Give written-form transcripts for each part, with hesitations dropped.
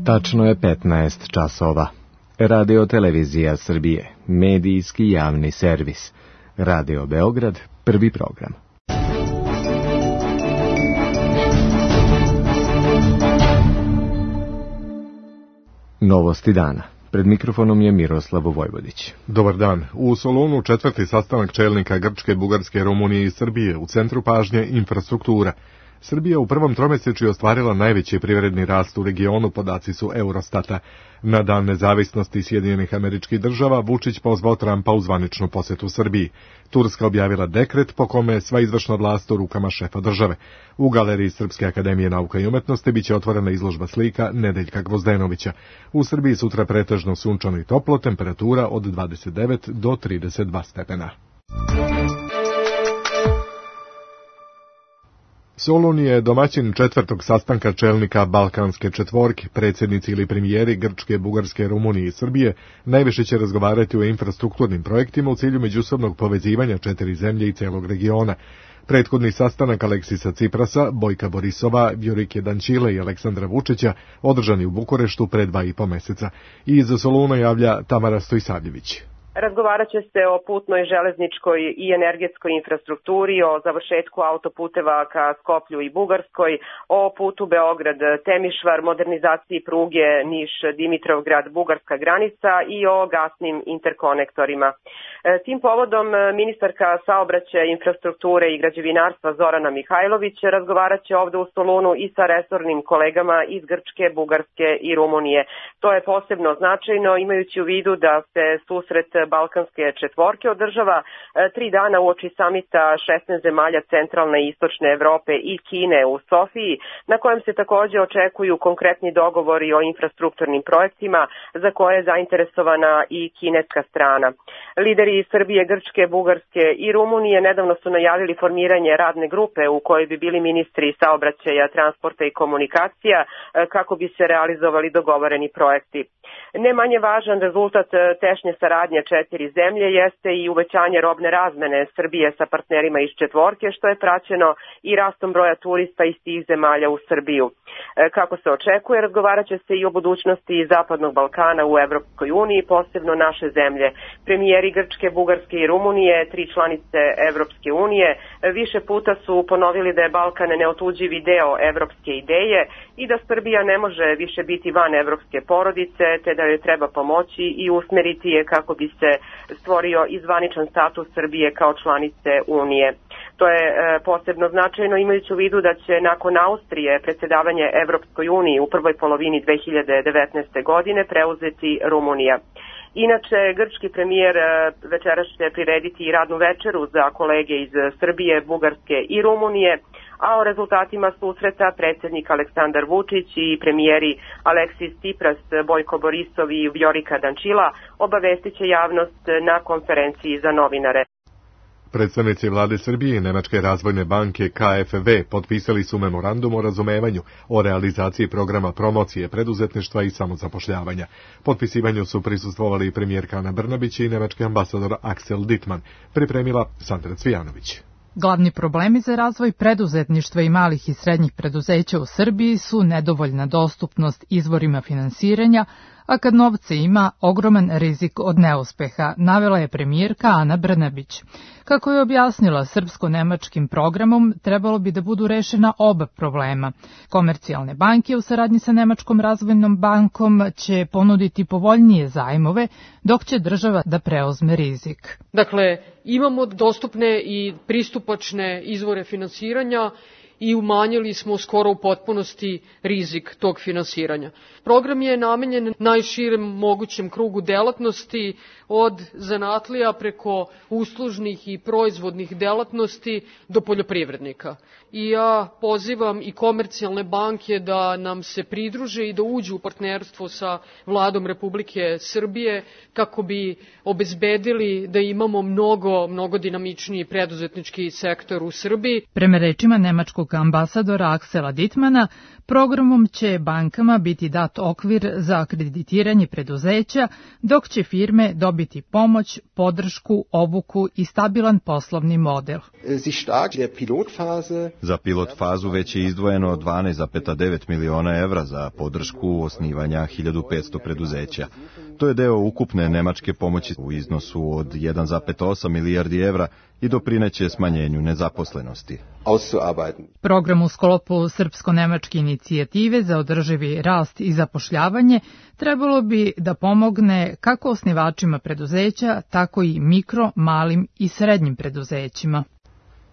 Tačno je 15 časova. Radio Televizija Srbije, medijski javni servis. Radio Beograd, prvi program. Novosti dana. Pred mikrofonom je Miroslav Vojvodić. Dobar dan. U Solunu četvrti sastanak čelnika Grčke, Bugarske, Rumunije i Srbije. U centru pažnje infrastruktura. Srbija u prvom tromesečju ostvarila najveći privredni rast u regionu, podaci su Eurostata. Na dan nezavisnosti Sjedinjenih Američkih Država Vučić pozvao Trumpa u zvaničnu posetu Srbiji. Turska objavila dekret po kome je sva izvršna vlast u rukama šefa države. U galeriji Srpske akademije nauka i umetnosti biće otvorena izložba slika Nedeljka Gvozdenovića. U Srbiji sutra pretežno sunčano i toplo, temperatura od 29 do 32 stepena. Solun je domaćin četvrtog sastanka čelnika Balkanske četvorke. Predsjednici ili premijeri Grčke, Bugarske, Rumunije i Srbije najviše će razgovarati o infrastrukturnim projektima u cilju međusobnog povezivanja četiri zemlje i celog regiona. Prethodni sastanak Aleksisa Ciprasa, Bojka Borisova, Vjorike Dančile i Aleksandra Vučića održani u Bukureštu pre 2,5 meseca. Iz Soluna javlja Tamara Stojsavljević. Razgovarat će se o putnoj, železničkoj i energetskoj infrastrukturi, o završetku autoputeva ka Skoplju i Bugarskoj, o putu Beograd-Temišvar, modernizaciji pruge Niš-Dimitrovgrad-Bugarska granica i o gasnim interkonektorima. Tim povodom ministarka saobraćaja, infrastrukture i građevinarstva Zorana Mihajlović razgovarat će ovde u Solunu i sa resornim kolegama iz Grčke, Bugarske i Rumunije. To je posebno značajno imajući u vidu da se susret Balkanske četvorke održava 3 dana uoči samita 16 zemalja centralne i istočne Evrope i Kine u Sofiji, na kojem se takođe očekuju konkretni dogovori o infrastrukturnim projektima za koje je zainteresovana i kineska strana. Lideri Srbije, Grčke, Bugarske i Rumunije nedavno su najavili formiranje radne grupe u kojoj bi bili ministri saobraćaja, transporta i komunikacija kako bi se realizovali dogovoreni projekti. Ne manje važan rezultat tešnje saradnje četiri zemlje jeste i uvećanje robne razmene Srbije sa partnerima iz četvorke, što je praćeno i rastom broja turista iz tih zemalja u Srbiju. Kako se očekuje, razgovarat će se i o budućnosti Zapadnog Balkana u Evropskoj uniji, posebno naše zemlje. Premijeri Grčke, Bugarske i Rumunije, 3 članice Evropske unije, više puta su ponovili da je Balkan neotuđivi deo evropske ideje i da Srbija ne može više biti van evropske porodice, te da joj treba pomoći i usmeriti je kako bi se stvorio i zvaničan status Srbije kao članice Unije. To je posebno značajno imajući u vidu da će nakon Austrije predsjedavanje Evropskoj uniji u prvoj polovini 2019. godine preuzeti Rumunija. Inače, grčki premijer večeras će prirediti i radnu večeru za kolege iz Srbije, Bugarske i Rumunije, a o rezultatima susreta predsjednik Aleksandar Vučić i premijeri Aleksis Cipras, Bojko Borisov i Vjorika Dančila obavestit će javnost na konferenciji za novinare. Predstavnici vlade Srbije i Nemačke razvojne banke KfW potpisali su memorandum o razumevanju o realizaciji programa promocije preduzetništva i samozapošljavanja. Potpisivanju su prisustvovali i premijerka Ana Brnabić i nemački ambasador Axel Dittmann, pripremila Sandra Cvijanović. Glavni problemi za razvoj preduzetništva i malih i srednjih preduzeća u Srbiji su nedovoljna dostupnost izvorima finansiranja, a kad novca ima, ogroman rizik od neuspeha, navela je premijerka Ana Brnabić. Kako je objasnila, srpsko-nemačkim programom trebalo bi da budu rešena oba problema. Komercijalne banke u saradnji sa Nemačkom razvojnom bankom će ponuditi povoljnije zajmove, dok će država da preuzme rizik. Dakle, imamo dostupne i pristupačne izvore finansiranja i umanjili smo skoro u potpunosti rizik tog finansiranja. Program je namenjen najširem mogućem krugu delatnosti, od zanatlija preko uslužnih i proizvodnih delatnosti do poljoprivrednika. I ja pozivam i komercijalne banke da nam se pridruže i da uđu u partnerstvo sa Vladom Republike Srbije kako bi obezbedili da imamo mnogo dinamičniji preduzetnički sektor u Srbiji. Prema rečima nemačkog nemačkog ambasadora Aksela Dittmana, programom će bankama biti dat okvir za akreditiranje preduzeća, dok će firme dobiti pomoć, podršku, obuku i stabilan poslovni model. Za pilot fazu već je izdvojeno 12,9 miliona evra za podršku osnivanja 1500 preduzeća. To je deo ukupne nemačke pomoći u iznosu od 1,8 milijardi evra i doprineće smanjenju nezaposlenosti. Program u sklopu srpsko-nemačke inicijative za održivi rast i zapošljavanje trebalo bi da pomogne kako osnivačima preduzeća, tako i mikro, malim i srednjim preduzećima.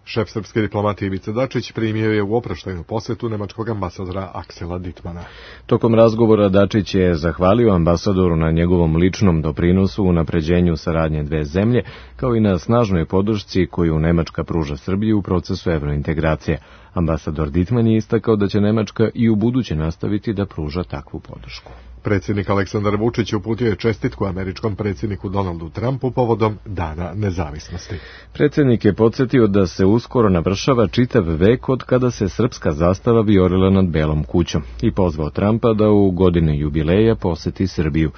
Šef srpske diplomatije Ivica Dačić primio je u oproštajnu posetu nemačkog ambasadora Aksela Dittmana. Tokom razgovora Dačić je zahvalio ambasadoru na njegovom ličnom doprinosu u unapređenju saradnje dve zemlje, kao i na snažnoj podršci koju Nemačka pruža Srbiji u procesu evrointegracije. Ambasador Dittman je istakao da će Nemačka i u buduće nastaviti da pruža takvu podršku. Predsjednik Aleksandar Vučić uputio je čestitku američkom predsjedniku Donaldu Trumpu povodom Dana nezavisnosti. Predsjednik je podsjetio da se uskoro navršava čitav vek od kada se srpska zastava vijorila nad Belom kućom i pozvao Trumpa da u godini jubileja poseti Srbiju.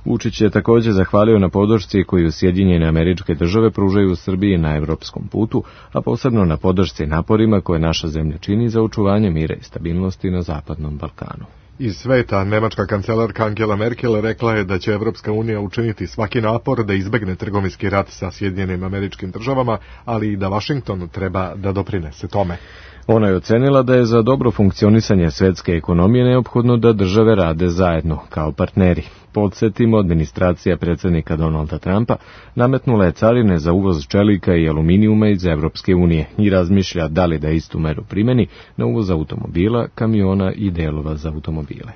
Vučić je također zahvalio na podršci koju Sjedinjene Američke Države pružaju Srbiji na evropskom putu, a posebno na podršci naporima koje naša zemlja čini za očuvanje mira i stabilnosti na Zapadnom Balkanu. Iz sveta, nemačka kancelarka Angela Merkel rekla je da će Evropska unija učiniti svaki napor da izbegne trgovinski rat sa Sjedinjenim Američkim Državama, ali i da Vašington treba da doprinese tome. Ona je ocenila da je za dobro funkcionisanje svetske ekonomije neophodno da države rade zajedno, kao partneri. Podsjetimo, administracija predsjednika Donalda Trumpa nametnula je carine za uvoz čelika i aluminijuma iz Evropske unije i razmišlja da li da istu meru primeni na uvoz automobila, kamiona i delova za automobile.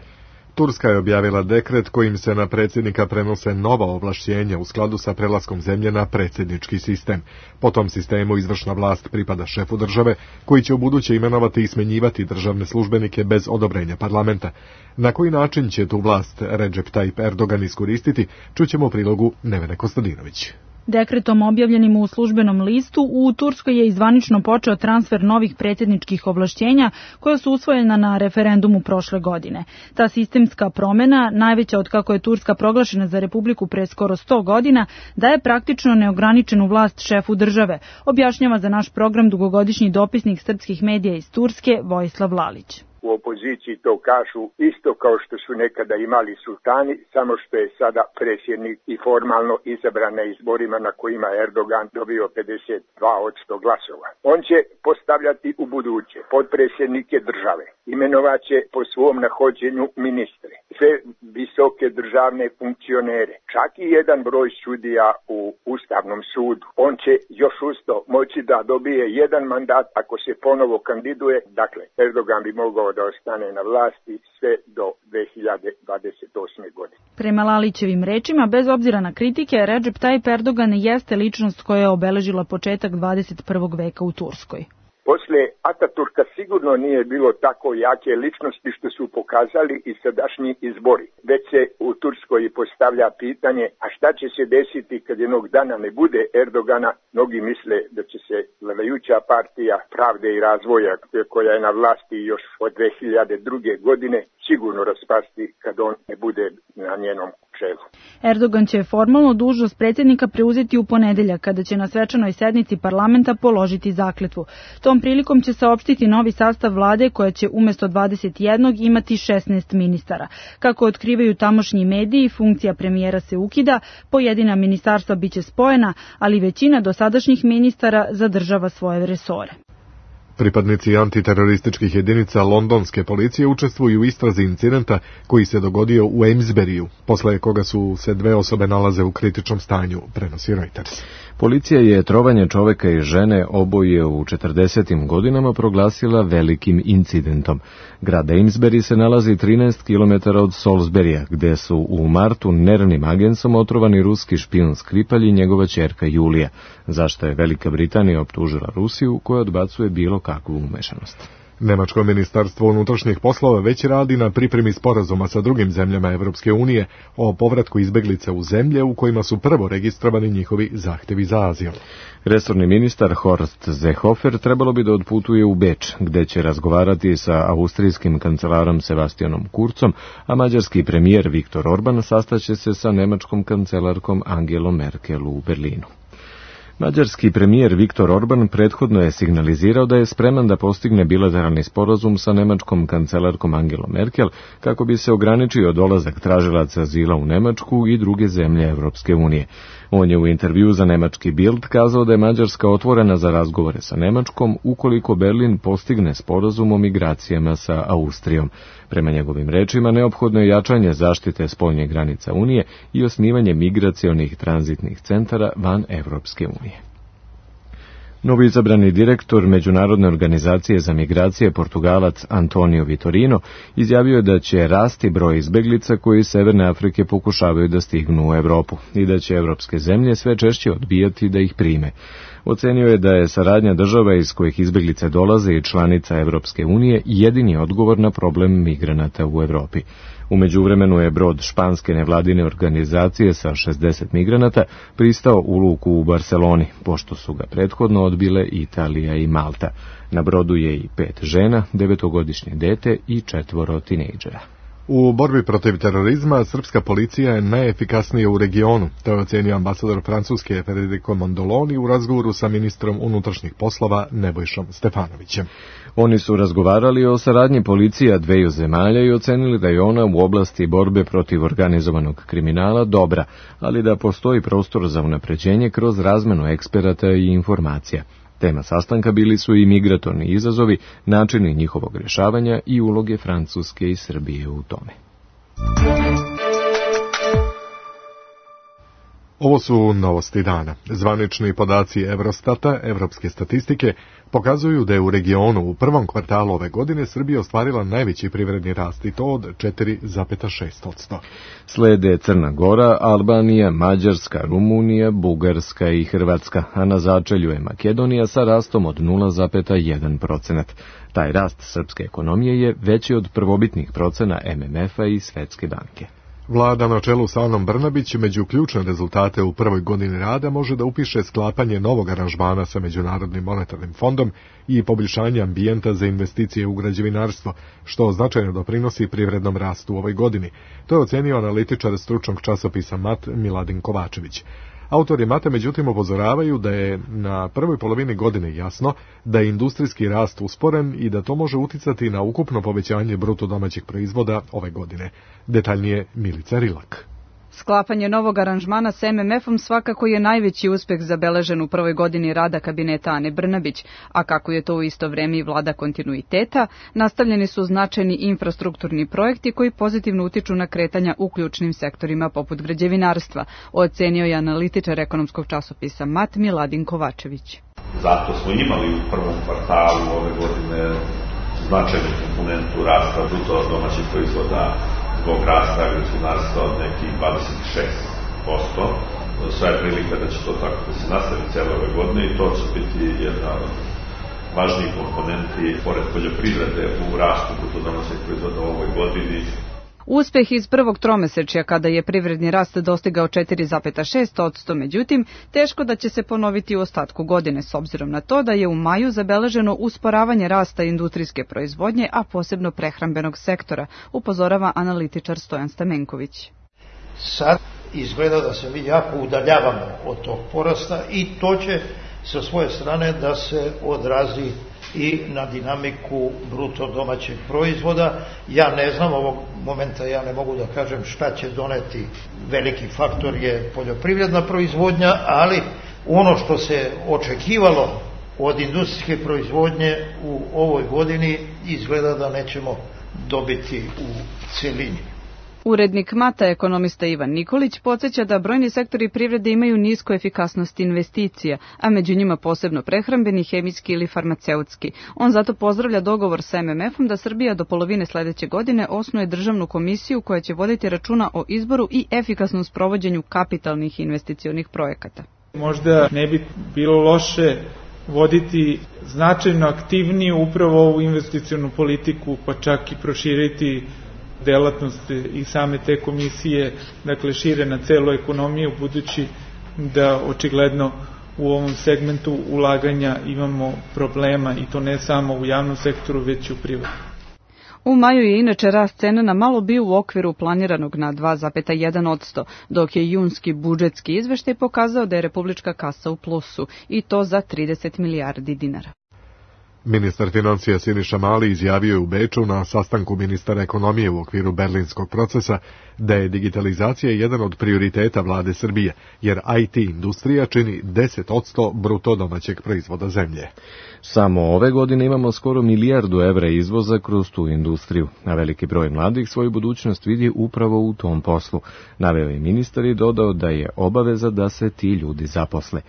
Turska je objavila dekret kojim se na predsjednika prenose nova ovlašćenja u skladu sa prelaskom zemlje na predsjednički sistem. Po tom sistemu izvršna vlast pripada šefu države, koji će ubuduće imenovati i smenjivati državne službenike bez odobrenja parlamenta. Na koji način će tu vlast Recep Tayyip Erdogan iskoristiti, čućemo u prilogu Nevene Kostadinović. Dekretom objavljenim u službenom listu, u Turskoj je zvanično počeo transfer novih predsjedničkih ovlašćenja koja su usvojena na referendumu prošle godine. Ta sistemska promjena, najveća od kako je Turska proglašena za republiku pre skoro 100 godina, daje praktično neograničenu vlast šefu države, objašnjava za naš program dugogodišnji dopisnik srpskih medija iz Turske Vojislav Lalić. U opoziciji to kažu isto kao što su nekada imali sultani, samo što je sada predsjednik i formalno izabran na izborima na kojima je Erdogan dobio 52% glasova. On će postavljati u buduće potpredsjednike države, imenovaće po svom nahođenju ministre, sve visoke državne funkcionere, čak i jedan broj sudija u Ustavnom sudu. On će još usto moći da dobije jedan mandat ako se ponovo kandiduje, dakle Erdogan bi mogao da ostane na vlasti sve do 2028. godine. Prema Lalićevim rečima, bez obzira na kritike, Recep Tayyip Erdogan jeste ličnost koja je obeležila početak 21. veka u Turskoj. Posle Ataturka sigurno nije bilo tako jake ličnosti što su pokazali i sadašnji izbori. Već se u Turskoj postavlja pitanje, a šta će se desiti kad jednog dana ne bude Erdogana? Mnogi misle da će se vladajuća partija Pravde i razvoja, koja je na vlasti još od 2002. godine, sigurno raspasti kad on ne bude na njenom čelu. Erdogan će formalno dužnost predsjednika preuzeti u ponedeljak, kada će na svečanoj sednici parlamenta položiti zakletvu. Tom prilikom će saopštiti novi sastav vlade koja će umjesto 21 imati 16 ministara. Kako otkrivaju tamošnji mediji, funkcija premijera se ukida, pojedina ministarstva biće spojena, ali većina dosadašnjih ministara zadržava svoje resore. Pripadnici antiterorističkih jedinica londonske policije učestvuju u istrazi incidenta koji se dogodio u Amesburyju, posle koga su se dve osobe nalaze u kritičnom stanju, prenosi Reuters. Policija je trovanje čoveka i žene, oboje u 40. godinama, proglasila velikim incidentom. Grad Amesbury se nalazi 13 km od Salisburya, gde su u martu nervnim agensom otrovani ruski špijun Skripalj i njegova ćerka Julija, zašto je Velika Britanija optužila Rusiju, koja odbacuje bilo kakvu umešanost. Nemačko ministarstvo unutrašnjih poslova već radi na pripremi sporazuma sa drugim zemljama Evropske unije o povratku izbeglica u zemlje u kojima su prvo registrovani njihovi zahtevi za azil. Resorni ministar Horst Seehofer trebalo bi da odputuje u Beč, gde će razgovarati sa austrijskim kancelarom Sebastianom Kurzom, a mađarski premijer Viktor Orban sastaće se sa nemačkom kancelarkom Angelom Merkel u Berlinu. Mađarski premijer Viktor Orban prethodno je signalizirao da je spreman da postigne bilateralni sporazum sa nemačkom kancelarkom Angelom Merkel kako bi se ograničio dolazak tražilaca azila u Nemačku i druge zemlje Evropske unije. On je u intervju za nemački Bild kazao da je Mađarska otvorena za razgovore sa Nemačkom ukoliko Berlin postigne sporazum o migracijama sa Austrijom. Prema njegovim rečima, neophodno je jačanje zaštite spoljnih granica Unije i osnivanje migracionih tranzitnih centara van Evropske unije. Novoizabrani direktor Međunarodne organizacije za migracije, Portugalac Antonio Vitorino, izjavio je da će rasti broj izbeglica koji iz Severne Afrike pokušavaju da stignu u Evropu i da će evropske zemlje sve češće odbijati da ih prime. Ocenio je da je saradnja država iz kojih izbeglice dolaze i članica Evropske unije jedini odgovor na problem migranata u Evropi. U međuvremenu je brod španske nevladine organizacije sa 60 migranata pristao u luku u Barceloni, pošto su ga prethodno odbile Italija i Malta. Na brodu je i 5 žena, 9-godišnje dete i 4 tinejdžera. U borbi protiv terorizma srpska policija je najefikasnija u regionu, to je ocenio ambasador Francuske Federico Mondoloni u razgovoru sa ministrom unutrašnjih poslova Nebojšom Stefanovićem. Oni su razgovarali o saradnji policija dveju zemalja i ocenili da je ona u oblasti borbe protiv organizovanog kriminala dobra, ali da postoji prostor za unapređenje kroz razmenu eksperata i informacija. Tema sastanka bili su i migratorni izazovi, načini njihovog rješavanja i uloge Francuske i Srbije u tome. Ovo su novosti dana. Zvanični podaci Eurostata, evropske statistike, pokazuju da je u regionu u prvom kvartalu ove godine Srbija ostvarila najveći privredni rast i to od 4,6%. Slede Crna Gora, Albanija, Mađarska, Rumunija, Bugarska i Hrvatska, a na začelju je Makedonija sa rastom od 0,1%. Taj rast srpske ekonomije je veći od prvobitnih procena MMF-a i Svetske banke. Vlada na čelu sa Anom Brnabić među ključne rezultate u prvoj godini rada može da upiše sklapanje novog aranžmana sa Međunarodnim monetarnim fondom i poboljšanje ambijenta za investicije u građevinarstvo, što značajno doprinosi privrednom rastu u ovoj godini. To je ocenio analitičar stručnog časopisa MAT Miladin Kovačević. Autori Mate međutim upozoravaju da je na prvoj polovini godine jasno da je industrijski rast usporen i da to može uticati na ukupno povećanje bruto domaćeg proizvoda ove godine. Detaljnije Milica Rilak. Sklapanje novog aranžmana s MMF-om svakako je najveći uspeh zabeležen u prvoj godini rada kabineta Ane Brnabić, a kako je to u isto vreme i vlada kontinuiteta, nastavljeni su značajni infrastrukturni projekti koji pozitivno utiču na kretanja u ključnim sektorima poput građevinarstva, ocenio je analitičar ekonomskog časopisa MAT Miladin Kovačević. Zato smo imali u prvom kvartalu ove godine značajnu komponentu rasta bruto domaćeg proizvoda zbog rasta građevinarstva od nekih 26%. Sve je prilika da će to tako da se nastavi cijele ove godine i to će biti jedna od važnijih komponenti pored poljoprivrede u rastu bruto domaćeg proizvoda u ovoj godini. Uspeh iz prvog tromesečja kada je privredni rast dostigao 4,6%, međutim, teško da će se ponoviti u ostatku godine s obzirom na to da je u maju zabeleženo usporavanje rasta industrijske proizvodnje, a posebno prehrambenog sektora, upozorava analitičar Stojan Stamenković. Sad izgleda da se mi jako udaljavamo od tog porasta i to će sa svoje strane da se odrazi i na dinamiku bruto domaćeg proizvoda. Ja ne znam, ovog momenta ja ne mogu da kažem šta će doneti. Veliki faktor je poljoprivredna proizvodnja, ali ono što se očekivalo od industrijske proizvodnje u ovoj godini izgleda da nećemo dobiti u celini. Urednik Mata, ekonomista Ivan Nikolić, podsjeća da brojni sektori privrede imaju nisku efikasnost investicija, a među njima posebno prehrambeni, hemijski ili farmaceutski. On zato pozdravlja dogovor sa MMF-om da Srbija do polovine sledeće godine osnuje državnu komisiju koja će voditi računa o izboru i efikasnom sprovođenju kapitalnih investicionih projekata. Možda ne bi bilo loše voditi značajno aktivniju upravo ovu investicionu politiku, pa čak i proširiti delatnost i same te komisije, dakle šire na celu ekonomiju, budući da očigledno u ovom segmentu ulaganja imamo problema i to ne samo u javnom sektoru, već i u privatnom. U maju je inače rast cena na malo bio u okviru planiranog na 2,1%, dok je junski budžetski izveštaj pokazao da je republička kasa u plusu, i to za 30 milijardi dinara. Ministar financija Siniša Mali izjavio je u Beču na sastanku ministara ekonomije u okviru berlinskog procesa da je digitalizacija jedan od prioriteta vlade Srbije, jer IT industrija čini 10% bruto domaćeg proizvoda zemlje. Samo ove godine imamo skoro milijardu evra izvoza kroz tu industriju, a veliki broj mladih svoju budućnost vidi upravo u tom poslu. Naveo je ministar i dodao da je obaveza da se ti ljudi zaposle.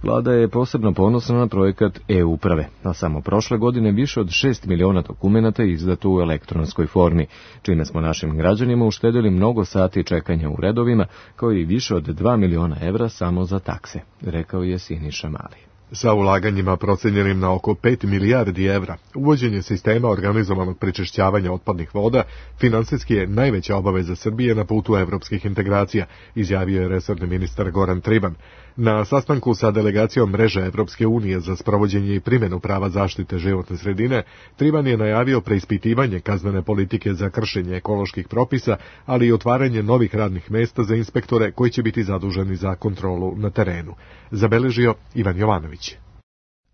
Vlada je posebno ponosna na projekat e-uprave, a samo prošle godine više od 6 miliona dokumenata izdato u elektronskoj formi, čime smo našim građanima uštedili mnogo sati čekanja u redovima, kao i više od 2 miliona evra samo za takse, rekao je Siniša Mali. Sa ulaganjima procenjenim na oko 5 milijardi evra, uvođenje sistema organizovanog prečišćavanja otpadnih voda finansijski je najveća obaveza Srbije na putu evropskih integracija, izjavio je resorni ministar Goran Trivan. Na sastanku sa delegacijom mreže Evropske unije za sprovođenje i primjenu prava zaštite životne sredine, Trivan je najavio preispitivanje kaznene politike za kršenje ekoloških propisa, ali i otvaranje novih radnih mesta za inspektore koji će biti zaduženi za kontrolu na terenu. Zabeležio Ivan Jovanović.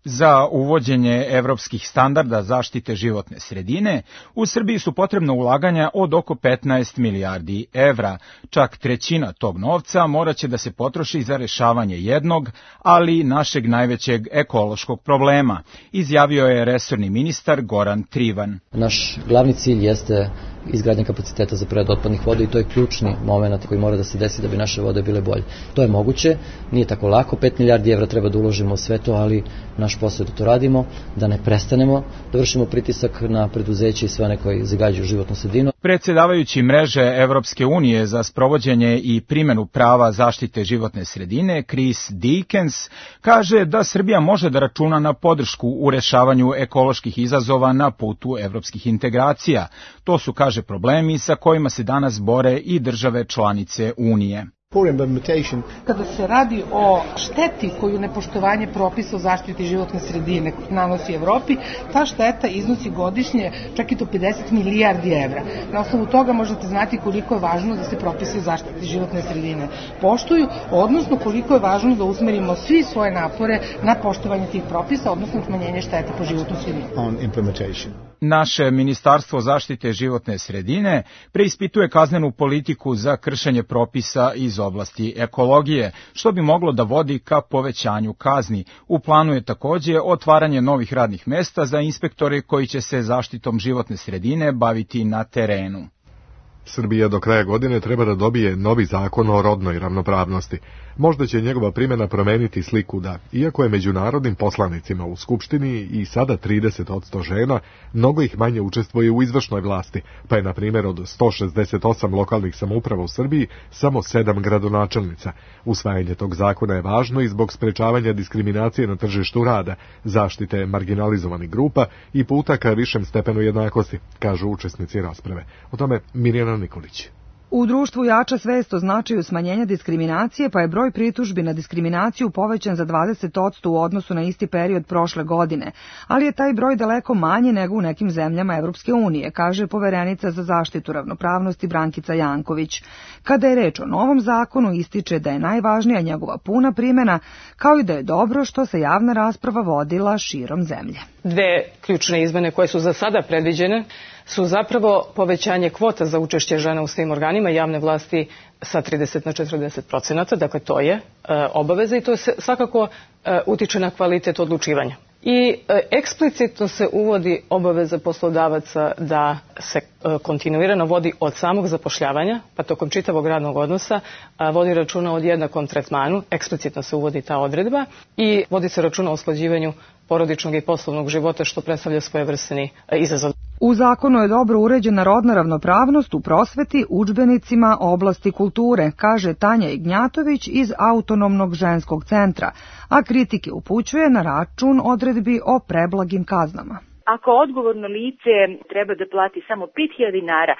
Za uvođenje evropskih standarda zaštite životne sredine, u Srbiji su potrebna ulaganja od oko 15 milijardi evra. Čak trećina tog novca moraće da se potroši za rešavanje jednog, ali našeg najvećeg ekološkog problema, izjavio je resorni ministar Goran Trivan. Naš glavni cilj jeste izgradnja kapaciteta za preradu otpadnih voda i to je ključni moment koji mora da se desi da bi naše vode bile bolje. To je moguće, nije tako lako, 5 milijardi evra treba da uložimo u sve to, ali naš posao je da to radimo, da ne prestanemo, da vršimo pritisak na preduzeće i sve one koji zagađuju životnu sredinu. Predsjedavajući mreže Evropske unije za sprovođenje i primjenu prava zaštite životne sredine, Chris Dickens, kaže da Srbija može da računa na podršku u rešavanju ekoloških izazova na putu evropskih integracija. To su, kaže, problemi sa kojima se danas bore i države članice Unije. Kada se radi o šteti koju nepoštovanje propisa o zaštiti životne sredine nanosi Evropi, ta šteta iznosi godišnje čak i do 50 milijardi evra. Na osnovu toga možete znati koliko je važno da se propise o zaštiti životne sredine poštuju, odnosno koliko je važno da usmerimo svi svoje napore na poštovanje tih propisa, odnosno smanjenje štete po životnu sredinu. Naše Ministarstvo zaštite životne sredine preispituje kaznenu politiku za kršenje propisa iz oblasti ekologije, što bi moglo da vodi ka povećanju kazni. U planu je takođe otvaranje novih radnih mesta za inspektore koji će se zaštitom životne sredine baviti na terenu. Srbija do kraja godine treba da dobije novi zakon o rodnoj ravnopravnosti. Možda će njegova primjena promeniti sliku da, iako je međunarodnim poslanicima u Skupštini i sada 30% žena, mnogo ih manje učestvuje u izvršnoj vlasti, pa je, na primjer, od 168 lokalnih samouprava u Srbiji samo 7 gradonačelnica. Usvajanje tog zakona je važno i zbog sprečavanja diskriminacije na tržištu rada, zaštite marginalizovanih grupa i puta ka višem stepenu jednakosti, kažu učesnici rasprave. O tome Mirjana Nikolić. U društvu jača svest o značaju smanjenja diskriminacije, pa je broj pritužbi na diskriminaciju povećan za 20% u odnosu na isti period prošle godine, ali je taj broj daleko manji nego u nekim zemljama Evropske unije, kaže poverenica za zaštitu ravnopravnosti Brankica Janković. Kada je reč o novom zakonu, ističe da je najvažnija njegova puna primjena, kao i da je dobro što se javna rasprava vodila širom zemlje. Dve ključne izmene koje su za sada predviđene su zapravo povećanje kvota za učešće žena u svim organima javne vlasti sa 30 na 40%, dakle to je obaveza i to se svakako utiče na kvalitet odlučivanja. I eksplicitno se uvodi obaveza poslodavaca da se kontinuirano vodi od samog zapošljavanja, pa tokom čitavog radnog odnosa, vodi računa o jednakom tretmanu, eksplicitno se uvodi ta odredba i vodi se računa o usklađivanju porodičnog i poslovnog života, što predstavlja svojevrsni izazov. U zakonu je dobro uređena rodna ravnopravnost u prosveti, udžbenicima oblasti kulture, kaže Tanja Ignjatović iz Autonomnog ženskog centra, a kritike upućuje na račun odredbi o preblagim kaznama. Ako odgovorno lice treba da plati samo 5.000 dinara,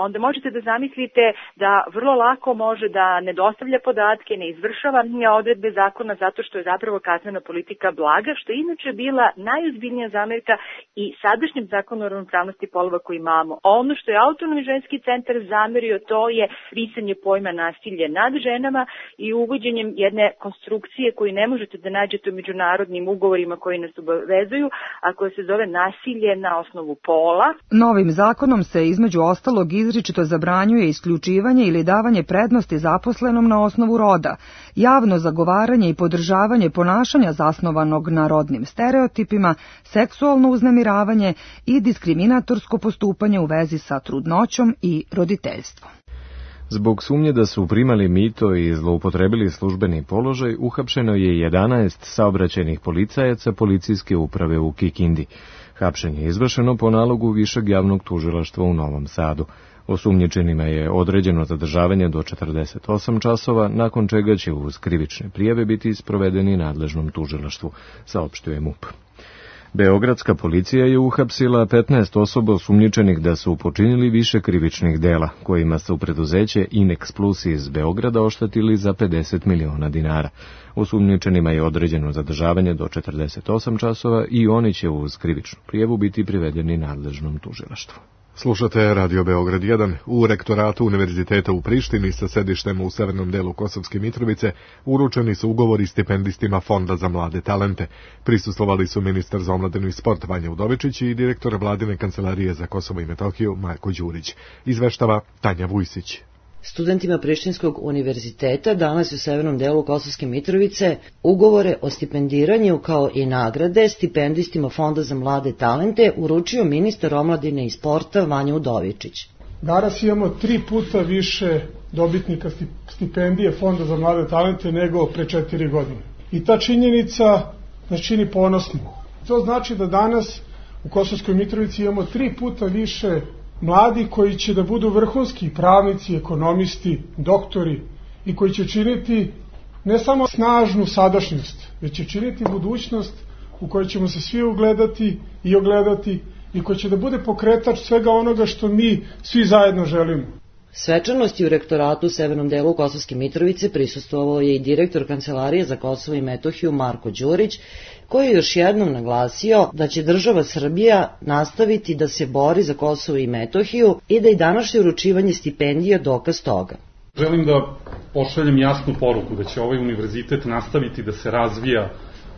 onda možete da zamislite da vrlo lako može da ne dostavlja podatke, ne izvršava odredbe zakona zato što je zapravo kaznena politika blaga, što je inače bila najozbiljnija zamerka i sadašnjem zakonu o ravnopravnosti polova koji imamo. Ono što je Autonomni ženski centar zamerio, to je brisanje pojma nasilje nad ženama i uvođenjem jedne konstrukcije koju ne možete da nađete u međunarodnim ugovorima koji nas obavezuju, a koja se zove nasilje na osnovu pola. Novim zakonom se između ostalog izričito zabranjuje isključivanje ili davanje prednosti zaposlenom na osnovu roda, javno zagovaranje i podržavanje ponašanja zasnovanog na rodnim stereotipima, seksualno uznemiravanje i diskriminatorsko postupanje u vezi sa trudnoćom i roditeljstvom. Zbog sumnje da su primali mito i zloupotrebili službeni položaj, uhapšeno je 11 saobraćajnih policajaca policijske uprave u Kikindi. Hapšenje je izvršeno po nalogu Višeg javnog tužilaštva u Novom Sadu. Osumnjičenima je određeno zadržavanje do 48 časova, nakon čega će uz krivične prijave biti sprovedeni nadležnom tužilaštvu, saopštuje MUP. Beogradska policija je uhapsila 15 osoba osumnjičenih da su počinili više krivičnih dela, kojima su preduzeće Inex Plus iz Beograda oštetili za 50 miliona dinara. Osumnjičenima je određeno zadržavanje do 48 časova i oni će uz krivičnu prijavu biti privedeni nadležnom tužilaštvu. Slušate Radio Beograd 1. U rektoratu Univerziteta u Prištini sa sedištem u severnom delu Kosovske Mitrovice uručeni su ugovori stipendistima Fonda za mlade talente. Prisustvovali su ministar za omladinu i sport Vanja Udovičić i direktor Vladine kancelarije za Kosovo i Metohiju Marko Đurić. Izveštava Tanja Vujsić. Studentima Prištinskog univerziteta danas u severnom delu Kosovske Mitrovice ugovore o stipendiranju kao i nagrade stipendistima Fonda za mlade talente uručio ministar omladine i sporta Vanja Udovičić. Danas imamo 3 puta više dobitnika stipendije Fonda za mlade talente nego pre 4 godine. I ta činjenica nas čini ponosnim. To znači da danas u Kosovskoj Mitrovici imamo 3 puta više mladi koji će da budu vrhunski pravnici, ekonomisti, doktori i koji će činiti ne samo snažnu sadašnjost, već će činiti budućnost u kojoj ćemo se svi ugledati i ogledati i koji će da bude pokretač svega onoga što mi svi zajedno želimo. Svečanosti u rektoratu u severnom delu Kosovske Mitrovice prisustvovao je i direktor Kancelarije za Kosovo i Metohiju Marko Đurić, koji je još jednom naglasio da će država Srbija nastaviti da se bori za Kosovo i Metohiju i da i današnje uručivanje stipendija dokaz toga. Želim da pošaljem jasnu poruku da će ovaj univerzitet nastaviti da se razvija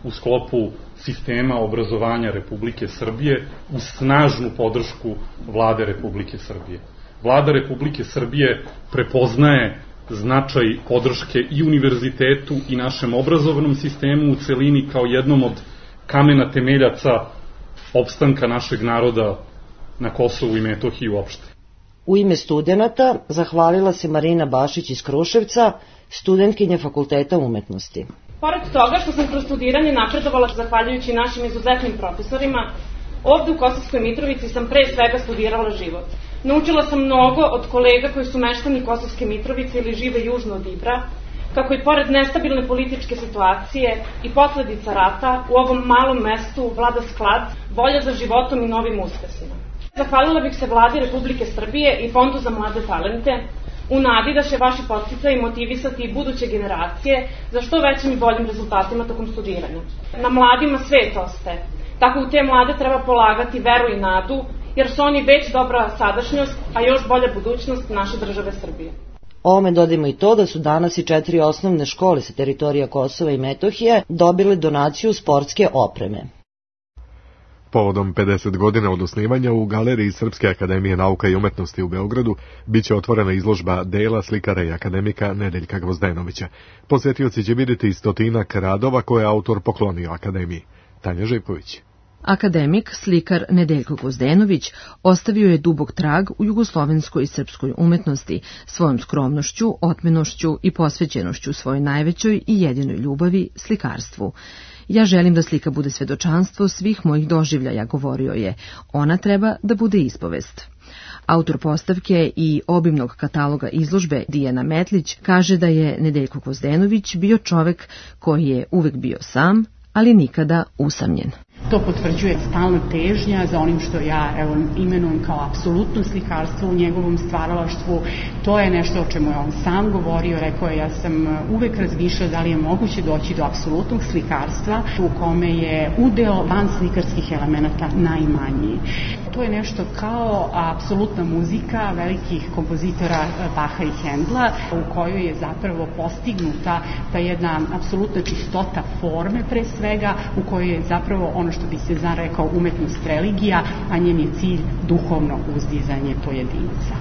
u sklopu sistema obrazovanja Republike Srbije uz snažnu podršku Vlade Republike Srbije. Vlada Republike Srbije prepoznaje značaj podrške i univerzitetu i našem obrazovnom sistemu u celini kao jednom od kamena temeljaca opstanka našeg naroda na Kosovu i Metohiji uopšte. U ime studenata zahvalila se Marina Bašić iz Kruševca, studentkinja Fakulteta umetnosti. Pored toga što sam kroz studiranje napredovala zahvaljujući našim izuzetnim profesorima, ovde u Kosovskoj Mitrovici sam pre svega studirala život. Naučila sam mnogo od kolega koji su meštani Kosovske Mitrovice ili žive južno od Ibra, kako i pored nestabilne političke situacije i posledica rata u ovom malom mestu vlada sklad, volja za životom i novim uspesima. Zahvalila bih se Vladi Republike Srbije i Fondu za mlade talente u nadi da će vaši podsticaji motivisati i buduće generacije za što većim i boljim rezultatima tokom studiranja. Na mladima svet ostaje. Tako u te mlade treba polagati veru i nadu, jer su oni već dobra sadašnjost, a još bolja budućnost naše države Srbije. Ovome dodajmo i to da su danas i 4 osnovne škole sa teritorija Kosova i Metohije dobile donaciju sportske opreme. Povodom 50 godina od osnivanja u Galeriji Srpske akademije nauka i umetnosti u Beogradu biće otvorena izložba dela slikara i akademika Nedeljka Gvozdenovića. Posjetioci će vidjeti 100 radova koje je autor poklonio akademiji. Tanja Živković. Akademik, slikar Nedeljko Gvozdenović ostavio je dubok trag u jugoslovenskoj i srpskoj umetnosti svojom skromnošću, otmenošću i posvećenošću svojoj najvećoj i jedinoj ljubavi, slikarstvu. Ja želim da slika bude svedočanstvo svih mojih doživljaja, govorio je. Ona treba da bude ispovest. Autor postavke i obimnog kataloga izložbe Dijana Metlić kaže da je Nedeljko Gvozdenović bio čovek koji je uvek bio sam, ali nikada usamljen. To potvrđuje stalna težnja za onim što ja imenujem kao apsolutno slikarstvo u njegovom stvaralaštvu. To je nešto o čemu je on sam govorio, rekao je, ja sam uvek razmišljao da li je moguće doći do apsolutnog slikarstva u kome je udeo van slikarskih elemenata najmanji. To je nešto kao apsolutna muzika velikih kompozitora Baha i Hendla, u kojoj je zapravo postignuta ta jedna apsolutna čistota forme pre svega, u kojoj je zapravo ono što bi se rekao umetnost religija, a njen je cilj duhovno uzdizanje pojedinca.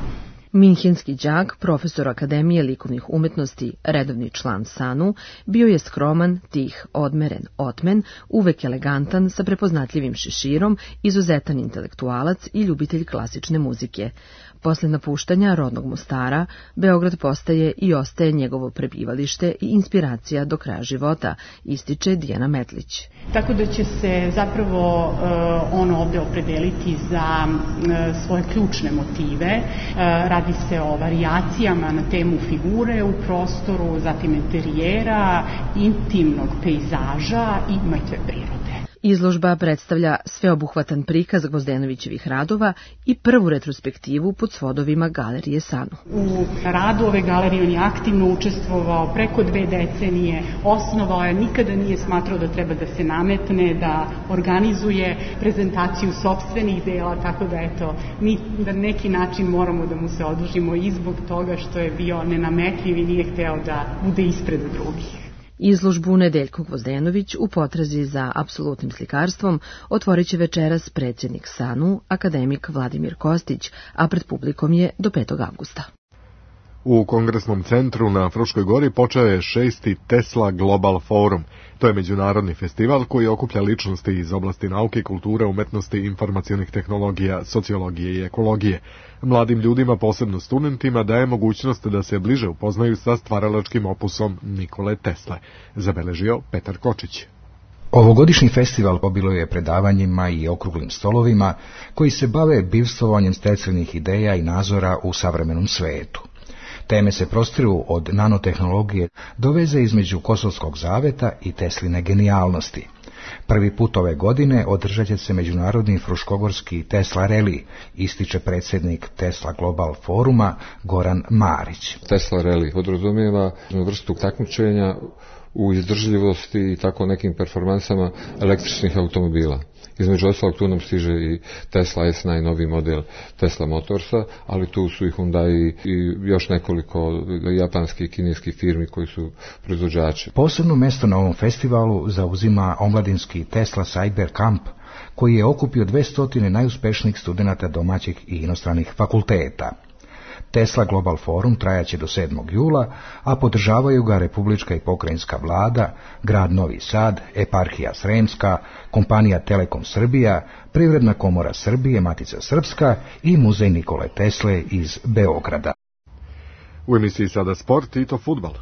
Minhenski đak, profesor Akademije likovnih umetnosti, redovni član SANU, bio je skroman, tih, odmeren, otmen, uvek elegantan, sa prepoznatljivim šeširom, izuzetan intelektualac i ljubitelj klasične muzike. Posle napuštanja rodnog Mostara, Beograd postaje i ostaje njegovo prebivalište i inspiracija do kraja života, ističe Dijana Metlić. Tako da će se zapravo on ovde opredeliti za svoje ključne motive. Radi se o varijacijama na temu figure u prostoru, zatim interijera, intimnog pejzaža i mrtve prirode. Izložba predstavlja sveobuhvatan prikaz Gvozdenovićevih radova i prvu retrospektivu pod svodovima Galerije SANU. U radu ove galerije on je aktivno učestvovao preko 2 decenije, osnovao je, nikada nije smatrao da treba da se nametne, da organizuje prezentaciju sopstvenih dela, tako da mi na neki način moramo da mu se odužimo i zbog toga što je bio nenametljiv i nije hteo da bude ispred drugih. Izložbu Nedeljko Gvozdenović u potrazi za apsolutnim slikarstvom otvorit će večeras predsjednik SANU, akademik Vladimir Kostić, a pred publikom je do 5. avgusta. U Kongresnom centru na Fruškoj gori počeo je 6. Tesla Global Forum. To je međunarodni festival koji okuplja ličnosti iz oblasti nauke, kulture, umetnosti, informacionih tehnologija, sociologije i ekologije. Mladim ljudima, posebno studentima, daje mogućnost da se bliže upoznaju sa stvaralačkim opusom Nikole Tesle, zabeležio Petar Kočić. Ovogodišnji festival obiluje predavanjima i okruglim stolovima koji se bave bivstvovanjem stečenih ideja i nazora u savremenom svetu. Teme se prostiru od nanotehnologije do veze između Kosovskog zaveta i Tesline genijalnosti. Prvi put ove godine održat će se međunarodni fruškogorski Tesla Rally, ističe predsjednik Tesla Global Foruma Goran Marić. Tesla Rally podrazumijeva vrstu takmičenja u izdržljivosti i tako nekim performansama električnih automobila. Između ostalog tu nam stiže i Tesla S, najnoviji model Tesla Motorsa, ali tu su i Hyundai i još nekoliko japanskih i kineskih firmi koji su proizvođači. Posebno mjesto na ovom festivalu zauzima omladinski Tesla Cyber Camp, koji je okupio 200 najuspješnijih studenata domaćih i inostranih fakulteta. Tesla Global Forum trajaće do 7. jula, a podržavaju ga Republička i pokrajinska vlada, grad Novi Sad, eparhija Sremska, kompanija Telekom Srbija, Privredna komora Srbije, Matica Srpska i Muzej Nikole Tesle iz Beograda. U emisiji sada sport i to fudbal.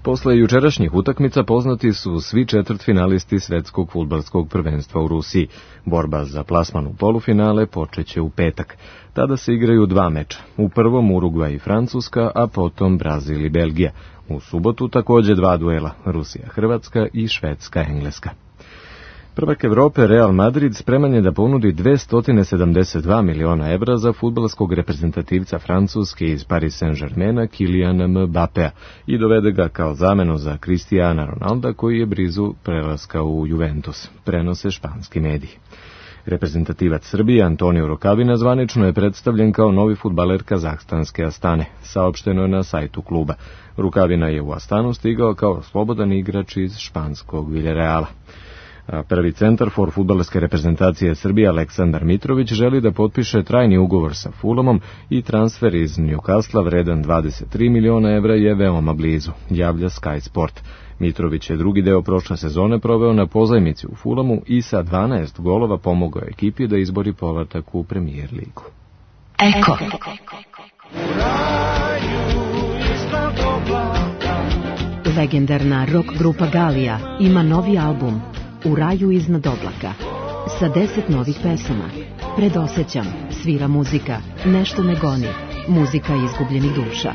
Posle jučerašnjih utakmica poznati su svi četvrtfinalisti svetskog fudbalskog prvenstva u Rusiji. Borba za plasman u polufinale počeće u petak. Tada se igraju 2 meča. U prvom Urugvaj i Francuska, a potom Brazil i Belgija. U subotu također 2 duela, Rusija-Hrvatska i Švedska-Engleska. Prvak Evrope Real Madrid spreman je da ponudi 272 miliona evra za fudbalskog reprezentativca Francuske iz Paris Saint-Germaina Kyliana Mbappéa i dovede ga kao zamenu za Cristiana Ronalda koji je blizu prelaska u Juventus, prenose španski mediji. Reprezentativac Srbije Antonio Rukavina zvanično je predstavljen kao novi fudbaler kazahstanske Astane, saopšteno je na sajtu kluba. Rukavina je u Astanu stigao kao slobodan igrač iz španskog Villarreala. Prvi centarfor fudbalske reprezentacije Srbije Aleksandar Mitrović želi da potpiše trajni ugovor sa Fulhamom i transfer iz Newcastle vredan 23 miliona evra je veoma blizu, javlja Sky Sport. Mitrović je drugi deo prošle sezone proveo na pozajmici u Fulhamu i sa 12 golova pomogao ekipi da izbori povratak u Premier ligu. Eko. Legendarna rock grupa Galija ima novi album U raju iznad oblaka. Sa 10 novih pesama. Predosećam, svira muzika, nešto me goni, muzika izgubljenih duša.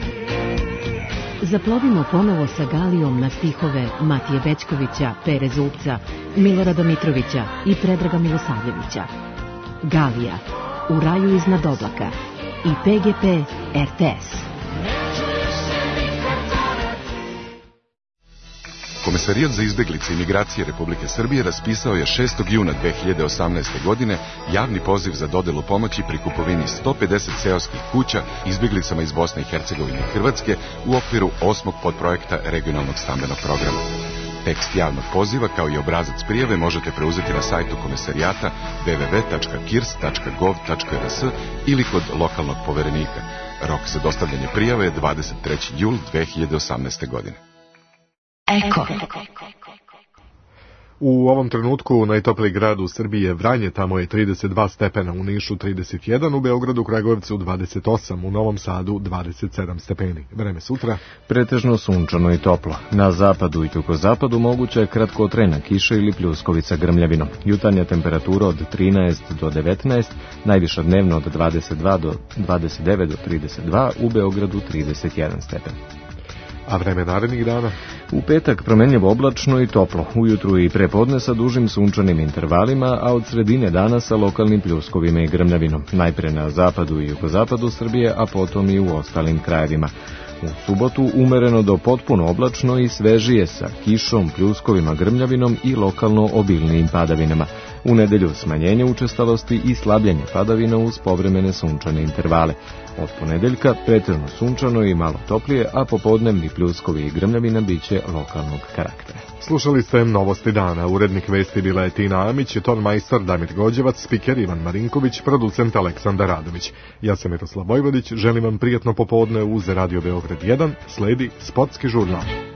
Zaplovimo ponovo sa Galijom na stihove Matije Bećkovića, Pere Zubca, Milorada Mitrovića i Predraga Milosavljevića. Galija, U raju iznad oblaka i PGP RTS. Komesarijat za izbeglice i migracije Republike Srbije raspisao je 6. juna 2018. godine javni poziv za dodelu pomoći pri kupovini 150 seoskih kuća izbeglicama iz Bosne i Hercegovine i Hrvatske u okviru 8. podprojekta regionalnog stambenog programa. Tekst javnog poziva kao i obrazac prijave možete preuzeti na sajtu komesarijata www.kirs.gov.rs ili kod lokalnog poverenika. Rok za dostavljanje prijave je 23. jul 2018. godine. Eko. U ovom trenutku najtopliji grad u Srbiji je Vranje, tamo je 32 stepena, u Nišu 31, u Beogradu, Kragujevcu 28, u Novom Sadu 27 stepeni. Vreme sutra. Pretežno sunčano i toplo. Na zapadu i jugovzapadu moguća je kratkotrajna kiša ili pljuskovica grmljavinom. Jutarnja temperatura od 13 do 19, najviša dnevno od 22 do 29 do 32, u Beogradu 31 stepen. A vreme narednih dana? U petak promenljivo oblačno i toplo, ujutru i prepodne sa dužim sunčanim intervalima, a od sredine dana sa lokalnim pljuskovima i grmljavinom. Najpre na zapadu i jugozapadu Srbije, a potom i u ostalim krajevima. U subotu umereno do potpuno oblačno i svežije sa kišom, pljuskovima, grmljavinom i lokalno obilnijim padavinama. U nedelju smanjenje učestalosti i slabljenje padavina uz povremene sunčane intervale. Od ponedeljka pretežno sunčano i malo toplije, a popodnevni pljuskovi i grmljavina biće lokalnog karaktera. Slušali ste Novosti dana. Urednik vesti bila je Tina Amić, ton majstor Damir Gođevac, spiker Ivan Marinković, producent Aleksandar Radović. Ja sam Miroslav Vojvodić, želim vam prijatno popodne uz Radio Beograd 1, sledi Sportski žurnal.